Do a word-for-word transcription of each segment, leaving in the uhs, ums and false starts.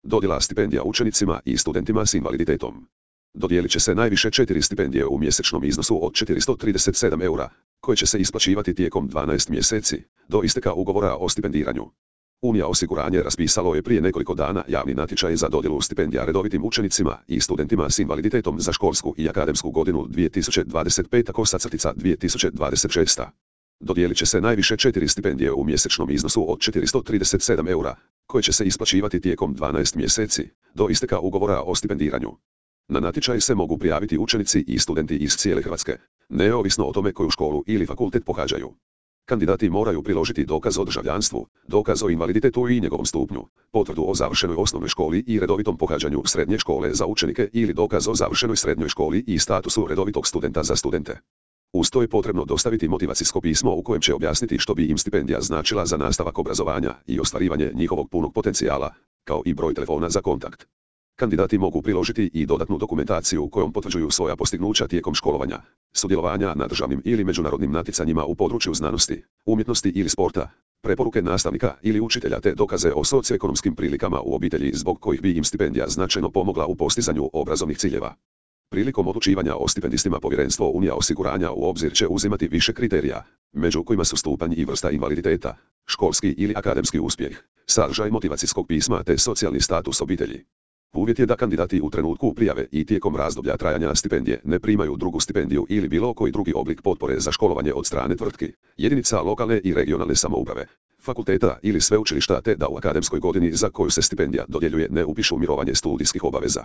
Dodjela stipendija učenicima i studentima s invaliditetom. Dodijelit će se najviše četiri stipendije u mjesečnom iznosu od četiristo trideset sedam eura, koje će se isplaćivati tijekom dvanaest mjeseci, do isteka ugovora o stipendiranju. Unija osiguranje raspisalo je prije nekoliko dana javni natječaj za dodjelu stipendija redovitim učenicima i studentima s invaliditetom za školsku i akademsku godinu dvije tisuće dvadeset peta kosacrtica dvije tisuće dvadeset šesta. Dodijelit će se najviše četiri stipendije u mjesečnom iznosu od četiristo trideset sedam eura, koje će se isplaćivati tijekom dvanaest mjeseci, do isteka ugovora o stipendiranju. Na natječaj se mogu prijaviti učenici i studenti iz cijele Hrvatske, neovisno o tome koju školu ili fakultet pohađaju. Kandidati moraju priložiti dokaz o državljanstvu, dokaz o invaliditetu i njegovom stupnju, potvrdu o završenoj osnovnoj školi i redovitom pohađanju srednje škole za učenike ili dokaz o završenoj srednjoj školi i statusu redovitog studenta za studente. Uz to je potrebno dostaviti motivacijsko pismo u kojem će objasniti što bi im stipendija značila za nastavak obrazovanja i ostvarivanje njihovog punog potencijala, kao i broj telefona za kontakt. Kandidati mogu priložiti i dodatnu dokumentaciju kojom potvrđuju svoja postignuća tijekom školovanja, sudjelovanja na državnim ili međunarodnim natjecanjima u području znanosti, umjetnosti ili sporta, preporuke nastavnika ili učitelja te dokaze o socioekonomskim prilikama u obitelji zbog kojih bi im stipendija značajno pomogla u postizanju obrazovnih ciljeva. Prilikom odlučivanja o stipendistima Povjerenstvo Unija osiguranja u obzir će uzimati više kriterija, među kojima su stupanj i vrsta invaliditeta, školski ili akademski uspjeh, sadržaj motivacijskog pisma te socijalni status obitelji. Uvjet je da kandidati u trenutku prijave i tijekom razdoblja trajanja stipendije ne primaju drugu stipendiju ili bilo koji drugi oblik potpore za školovanje od strane tvrtki, jedinica lokalne i regionalne samouprave, fakulteta ili sveučilišta te da u akademskoj godini za koju se stipendija dodjeljuje ne upišu mirovanje studijskih obaveza.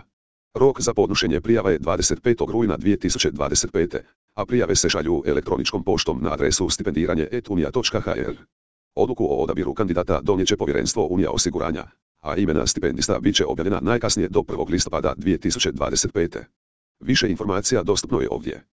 Rok za podnošenje prijava je dvadeset petog rujna dvije tisuće dvadeset pete. a prijave se šalju elektroničkom poštom na adresu stipendiranje et unija točka ha er. Odluku o odabiru kandidata donijet će Povjerenstvo Unija osiguranja, a imena stipendista bit će objavljena najkasnije do prvog listopada dvije tisuće dvadeset pete. Više informacija dostupno je ovdje.